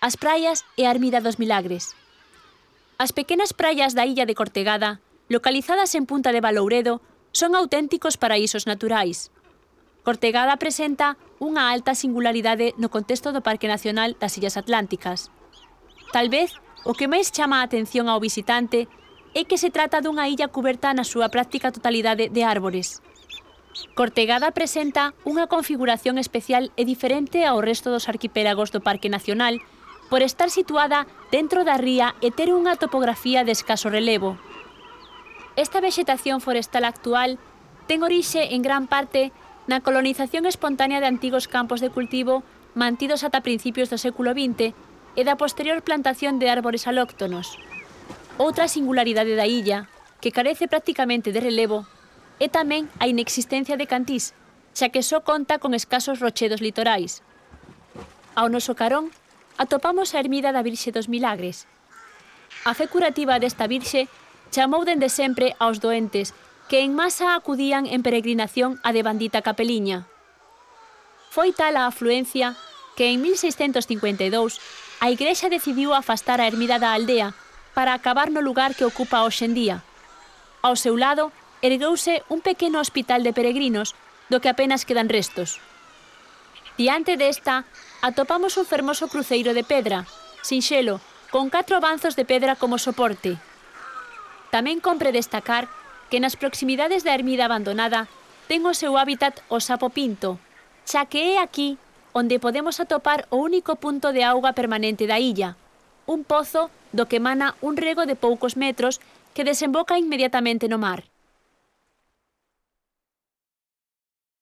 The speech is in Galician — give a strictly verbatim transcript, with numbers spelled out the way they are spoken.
as praias e a ermida dos Milagres. As pequenas praias da illa de Cortegada, localizadas en Punta de Balouredo, son auténticos paraísos naturais. Cortegada presenta unha alta singularidade no contexto do Parque Nacional das Illas Atlánticas. Tal vez, o que máis chama a atención ao visitante é que se trata dunha illa cuberta na súa práctica totalidade de árbores. Cortegada presenta unha configuración especial e diferente ao resto dos arquipélagos do Parque Nacional por estar situada dentro da ría e ter unha topografía de escaso relevo. Esta vexetación forestal actual ten orixe en gran parte na colonización espontánea de antigos campos de cultivo mantidos ata principios do século vinte e da posterior plantación de árbores alóctonos. Outra singularidade da illa, que carece prácticamente de relevo, é tamén a inexistencia de cantís, xa que só conta con escasos rochedos litorais. Ao noso carón, atopamos a ermida da Virxe dos Milagres. A fe curativa desta Virxe chamou dende sempre aos doentes que en masa acudían en peregrinación á devandita capeliña. Foi tal a afluencia que en mil seiscentos cincuenta e dous a Igrexa decidiu afastar a ermida da aldea para acabar no lugar que ocupa hoxe en día. Ao seu lado, ergueuse un pequeno hospital de peregrinos do que apenas quedan restos. Diante desta, atopamos un fermoso cruceiro de pedra, sinxelo, con catro banzos de pedra como soporte. Tamén compre destacar que nas proximidades da ermida abandonada ten o seu hábitat o sapo pinto, xa que é aquí onde podemos atopar o único punto de auga permanente da illa, un pozo do que emana un rego de poucos metros que desemboca inmediatamente no mar.